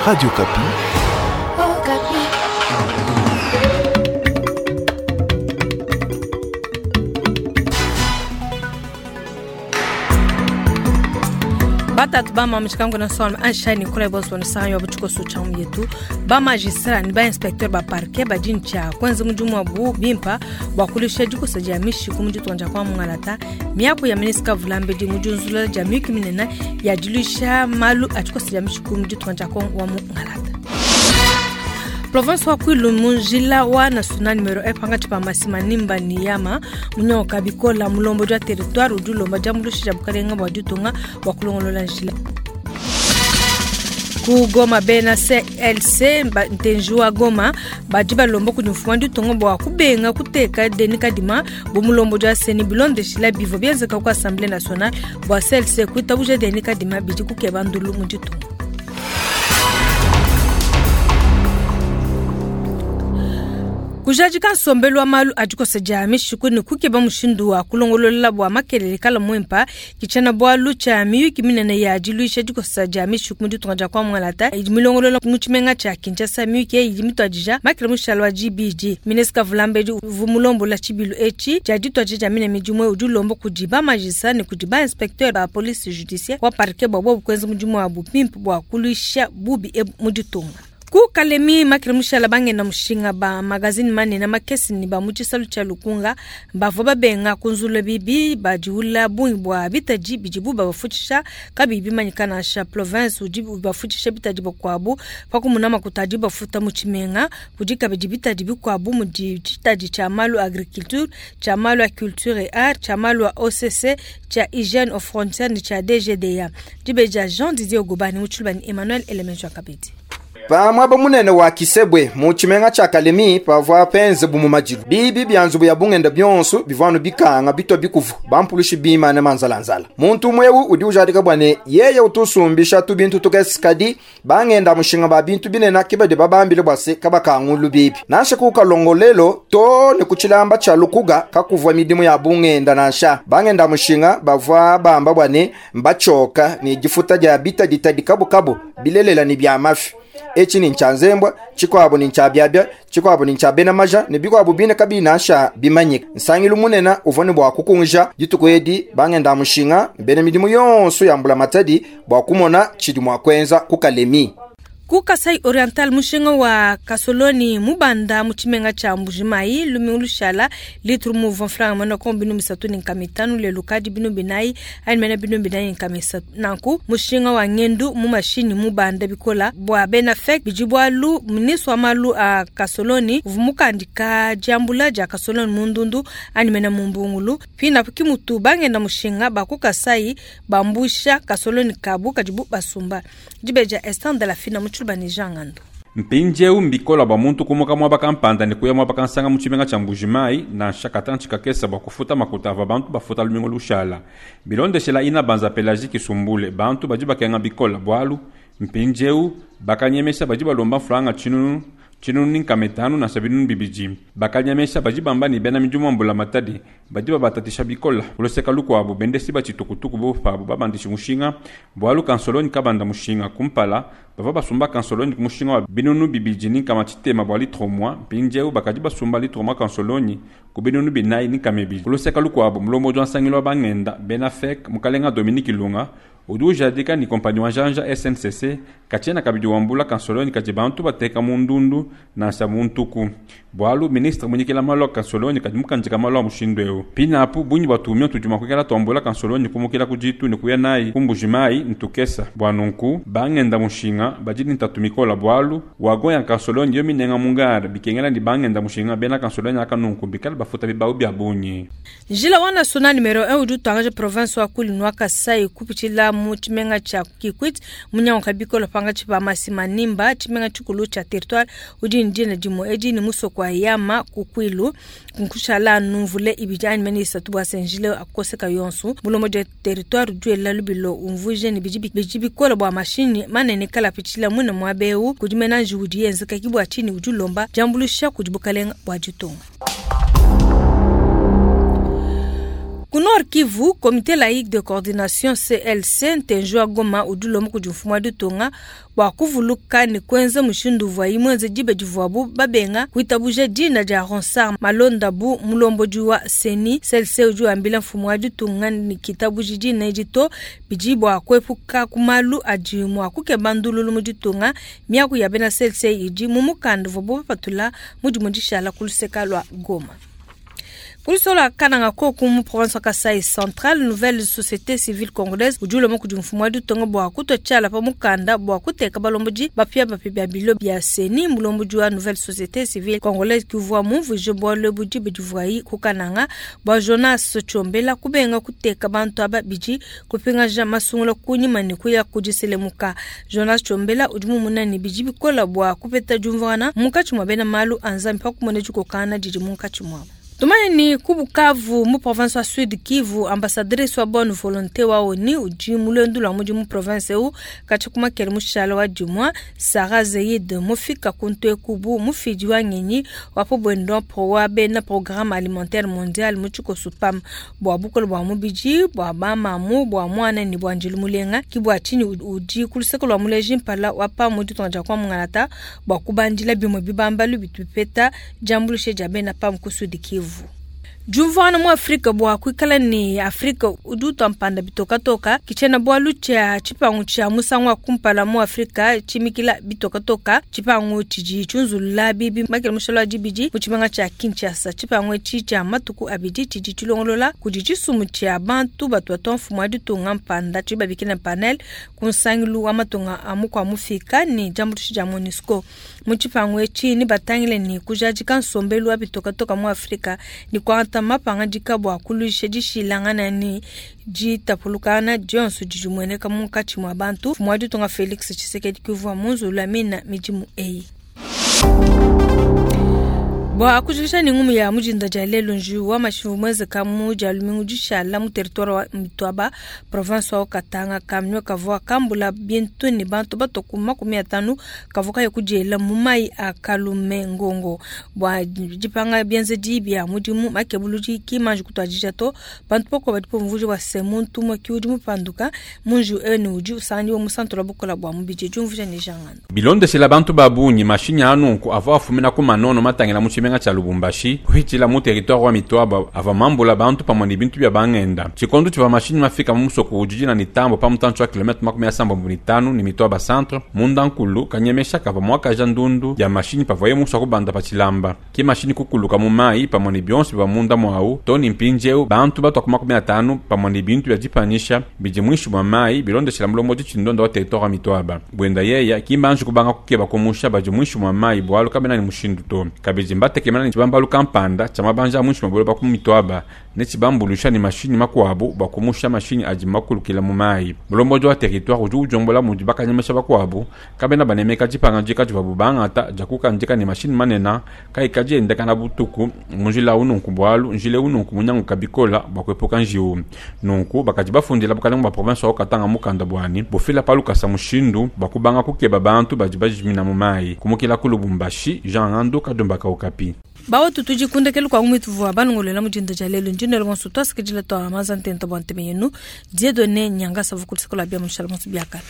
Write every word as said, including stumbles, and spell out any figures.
Radio Okapi. Okapi. Batatu ba mama na son anshani kula boss wani san yo buchiko su chamu yetu ba magistrat ni ba inspecteur ba parquet ba jincha kwanza mujumu abu bimpa bwa kulisha jiko sa jamishi kumuji tonja kwa mungalata miapo ya ministre vulambe di mujunzula jamii kiminena ya dilusha malu achiko sa jamishi kumuji tonja kwa wa mungalata. Province wa Kwilu munjila wa national numero un panga chipa masima nimba ni yama munyoka bikola mulombo jwa territoire udulomba jamulusha bukalenga bwa ditunga wa kulongolola njila ku Goma bena C L C ntenjua Goma baji balombo ku mfumu ditunga bwa kubenga kuteka deni kadima bo mulombo jwa seni bilonde shila bivo byenzeka ku Assemblée nationale bwa C L C kuitabuje deni kadima biji kukeba ndulu mu ditunga. Kujajika nsombelu wa malu adikosa jami shikuni kukeba mushindu wa kulongolola bwa makelele kala mwempa kichana bwa lucha miyuki minene ya diluisha dikosa jami shiku ditunga dia kwa mwalata idi milongolola mu tshimenga tshia Kinshasa miyuki eyi idi mituadija makele mushalo wa G B G. Ministre Vulambe vumulombola tshibilu etshi dia dituadija mine midimue udi ulomba kudi ba magistrat ne kudi ba inspecteur ba police judiciaire wa parquet bwa bobu kuenza mudimu wa bupimpu bwa kuluisha bubi ebu mu ditunga. Ku Kalemi makele mushala bangena mushinga ba magazine manene makesi ni ba mutshisalu tshia Lukunga bavua babenga kunzula bibi badiula bungi bwa bitaji bidibu babafutshisha kabiyi bimanyika nansha province udi bafutshisha bitaji bakuabu pakumuna makuta adi bafuta mu tshimenga kudi kabidi bitaji bikuabu mudi tshitaji tshia malu agriculture tshia malu a culture et art tshia malu a O C C tshia hygiène aux frontières ne tshia D G D A. Dibeja Jean Didier Ogobani mutshilubani Emmanuel Elemenjo Kabedi. Pa mwaba munene wa Kisebwe mu tshimenga tshia Kalemi pavua penze bumu majilu bibi bya nzubu ya bungenda byonso bivanu bikanga bitwa bikuvu bampulushi bimane manzalanzala muntu umwewu udi ujadika bwane yeye utusumbisha tu bintu tukesikadi bangenda mushinga ba bintu binena kibadi babambile bwase kabakangulu bibi nansha kukalongolelo to ne kuchilamba tshia Lukuga kakuvwa midimu ya bungenda nansha bangenda mushinga bavua bamba bwane mbachoka ni jifuta ja bita ditadi kabukabu bilelela ni bya mafi. Echi ni nchanzembwa chikwabo ni nchabyabya chikwabo ni nchabena maja ne bikwabo bine kabina sha bimanyika nsangilu munena uvone bwa kukunja dituku edi bangenda mushinga bene midimu yonso yambula matadi bwa kumona chidi mwa kwenza kukalemi. Ku Kasai Oriental mushinga wa Kasoloni mubanda mu tshimenga tshia Mbujimayi lumingu lushala litru mu vingt francs mena ko binu misatu ni nkama itanu lelu kadi binu binayi ani mena binu binayi nkama isatu. Nanku mushinga wa ngendu mu mashini mubanda bikola bwa bena fek bidi bwalu ministre wa malu a Kasoloni vumukandika diambula dia Kasoloni mundundu ani mena mumbungulu pina kimutu bangenda mushinga ba ku Kasai bambusha Kasoloni kabu kadibu basumba dibeja instant de la fina mu Banijangando. Mpinjeu mbikola bwa muntu kumuka mwaba kampanda ne kuya mwaba kansanga mu tshimenga tshia Mbujimayi nansha katantshi kakesa bwa kufuta makuta ava bantu bafuta lumingu lushala. Bilondeshela ina banza Pelagie Kisumbule bantu badi bakenga bikola bwalu mpinjeu bakanyemesha badi balomba franga tshinunu tshinunu ni nkama itanu na sabinunu bibidi. Bakanyemesha badi bamba ni bena midimu mbula matadi badi babatatisha bikola uloseka lukuabu bendesi ba tshitukutuku bo pabu babandisha mushinga bwalu kansoloni kabanda mushinga kumpala bava basumba kansoloni ku mushinga wa binunu bibidi ni nkama tshitema bwa litro mwa mpindieu bakadi basumba litro mwa kansoloni ku binunu binayi ni nkama ibidi. Uloseka lukuabu mulombo jwa nsangilo wa bangenda bena fek mukalenga Dominique Ilunga udi ujadika ni kompani wa janja S N C C katshiena kabidi wambula kansoloni kadi bantu bateka mundundu nansha muntuku bwalu ministre munyikila malu a kansoloni kadi mukandika malu a mushindu eu pinapu bunyi batumia tudi mua kuikala tuambula kansoloni kumukila ku ditu ne kuya nayi ku Mbujimayi ntukesa bua nunku bangenda mushinga badi ni ntatu mikola bwalu wagon ya kansoloni yo minenga mungare bikengela ni bangenda mushinga bena kansoloni aka nunku bikala bafuta bibau bia bunyi. Njila wa national numero un udi utangaje province wa Kwilu wa Kasai kupitshila mu tshimenga tshia Kikwit munyango bikolo panga tshiba masima nimba tshimenga tshikulu tshia territoire udi ndina dimo edi ni musoko wa yama ku Kwilu nkushala numvule ibidi ani mene isatu bwa senjile akoseka yonsu mulomo de territoire duela lubilo umvuje ni bidi bidi bikolo bwa mashini manene kala pitshila mune mwabeu kudi menanji udi yenzeka kibwa chini udi lomba jambulusha kudi bukalenga bwa ditunga. Ku Nord Kivu, Comité laïque de coordination C L C ntenji wa Goma udi ulomba kudi mfumu wa ditunga bua kuvuluka ne kuenza mushindu uvua mwenze diba divuabu babenga kuitabuja dina dia Ronsard Malonda bu mulombodi wa C E N I. C L C udi wambila mfumu wa ditunga ne kitabuji dina edi to bidi bua kuepuka ku malu adi mua kukeba ndululu mu ditunga. Miaku ya bena C L C idi mu mukanda uvuabu bapatula mu dimue dishala ku luseka lua Goma. Kulisola Kananga koku mu province wa Kasai Central, nouvelle société civile congolaise udi ulomba kudi mfumu wa ditunga bua kutua tshiala pa mukanda bua kuteka balombodi bapia bapia bia bilo bia C E N I. Mulombodi wa nouvelle société civile congolaise kuvua mumvuije bualu budi budivuayi ku Kananga bua Jonas Tshombela kubenga kuteka bantu aba bidi kupingaja masungula kunyima ne kuya kudiselemuka. Jonas Tshombela udi mumuna ne bidi bikola bua kupeta diumvuangana munkatshi mua bena malu a Nzambi pa kumona dikokana didi munkatshi muabu. Tumanye ni ku Bukavu mu province wa Sud Kivu, ambassadrice wa bonne volonté wa O N U udi mulwendu lwa mudi mu province eu katshi kumakele mushala wa dimwa Sarah Zeid mufika kuntu ekubu mufidi wa ngenyi wa pobwendo pro wa bena programme alimentaire mondial mu tshikoso PAM bua bukole bua mubidi bua bamamu bua mwana ni bua njilu mulenga ki bua tshinyi udi ku luseke lua muleji mpala wa PAM mu ditunga dia kwa mungalata bua kubandila bimue bibambalu bitu bipeta diambuluisha dia bena PAM ku Sud Kivu. Diumvuangana mu Afrika bua kuikala ne Afrika udi utua mpanda bitokatoka kitshena bualu tshia tshipangu tshia musangu wa kumpala mu Afrika tshimikila bitokatoka tshipangu tshidi tshiunzulula bibi makele mushalo wa dibidi mu tshimenga tshia Kinshasa. Tshipangu etshi tshia matuku abidi tshidi tshilongolola kudi tshisumbu tshia bantu batu batua mfumu wa ditunga mpanda tshidi babikila panel ku nsangilu wa matunga a mukua mufika ne diambuluisha dia MONUSCO. Mu tshipangu etshi ne batangile ne kujadika nsombelu wa bitokatoka mu Afrika ne kuangata mapangadika bua kuluisha dishilangana ne ditapulukana dionso didi mueneka munkatshi mua bantu. Mfumu wa ditunga Felix Tshisekedi kuvua munzulula mina midimu eyi. Bua kujikisha ne ngumu ya mujinda dia lelo nju wa mashivu mwezeka mu dia lumingu dishala mu territoire wa Mitwaba province wa Katanga kamnyo kavua kambula bintu ne bantu batoku makumi atanu kavua kaya kudiela mu mai a Kalume Ngongo bua dipanga bienzedi bia mudimu makebuludi kimanji kutuadija to bantu poko badi pomvuja bua se muntu umue ki udi mupanduka munju ene udi usangiwa mu santo la bukola bua mubidi diumvuja ne jangano. Bilondeshela bantu babunyi mashinyi anunku avua afumina ku manono matangila mu tshimenga tshia Lubumbashi kuhitshila mu territoire wa Mitwaba ava mambula bantu pamue ne bintu bia bangenda. Tshikondo tshivua mashinyi mafika mu musoko ujijina ne tambo pa mutantshi wa kilomètre makumi asambombo ne tanu ne Mitwaba centre munda nkulu kanyemesha kava mwakaja ndundu ya mashinyi pavaye muswa kubanda pa tshilamba ki mashinyi kukuluka mu mai pamue ne bionso bia munda mwawu to ne mpindieu bantu batua ku makumi atanu pamue ne bintu bia dipanyisha bidi muinshi mua mai bilondeshela mulombodi tshindonda wa territoire wa Mitwaba bwenda yeya kimbanji kubanga kukeba kumusha badi muinshi mua mai bualu kabena ne mushindu to kabidi mbatekemena ne tshibambalu kampanda tshia mabanja a muinshi mua buloba ku Mitwaba ne tshibambulusha ne mashinyi makuabu bua kumusha mashinyi adi makulukila mu mai. Mulombodi wa territoire udi ujombola mudi bakanyemesha bakuabu kabena banemeka dipanga divuabu bangata dia kukandika ne mashinyi manene kaikadi endekana butuku mu njila ununku bualu njila ununku munyanguka bikola bua kuepuka njiwu. Nunku bakadi bafundila bukalenga bua province wa Katanga mukanda buani bufila palukasa mushindu bua kubanga kukeba bantu badi bajimina mu mai. Kumukila ku Lubumbashi, Jean Ngandu Kadumbaka, Okapi. Bawo tutuji kundekelu kwa ngumi tuvua banongolela mujinda dia lelo ndinelo bonso twasikidila twa maza ntenta bua nteme yenu Dieudonné Nyangasa vukulisikola bia mushala monso biakala.